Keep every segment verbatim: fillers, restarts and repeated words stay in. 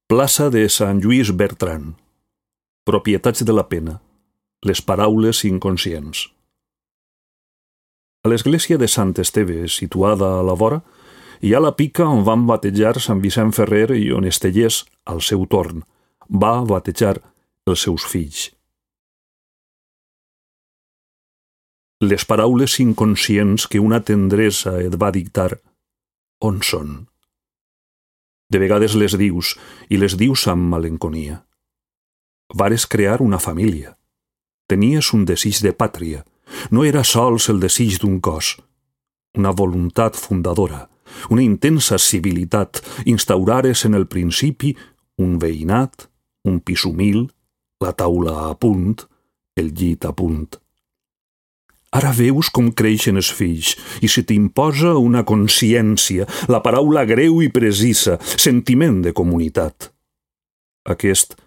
Plaça de Sant Lluís Bertran. Propietats de la pena. Les paraules inconscients. A l'església de Sant Esteve, situada a la vora, hi ha la pica on van batejar Sant Vicent Ferrer i on Estellers, al seu torn, va batejar els seus fills. Les paraules inconscients que una tendresa et va dictar, on són? De vegades les dius, i les dius amb malenconia. Vares crear una família. Tenies un desig de pàtria. No era sols el desig d'un cos. Una voluntat fundadora, una intensa civilitat, instaurares en el principi un veïnat, un pis humil, la taula a punt, el llit a punt. Ara veus com creixen els fills i se t'imposa una consciència, la paraula greu i precisa, sentiment de comunitat. Aquest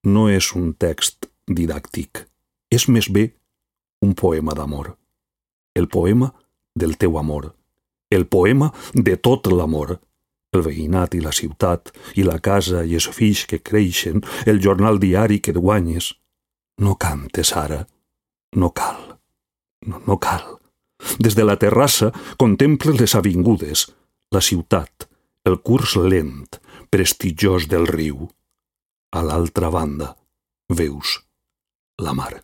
no és un text didàctic, és més bé un poema d'amor. El poema del teu amor, el poema de tot l'amor, el veïnat i la ciutat, i la casa i els fills que creixen, el jornal diari que et guanyes. No cantes ara, no cal. No, no cal. Des de la terrassa contemples les avingudes, la ciutat, el curs lent, prestigiós del riu. A l'altra banda veus la mar.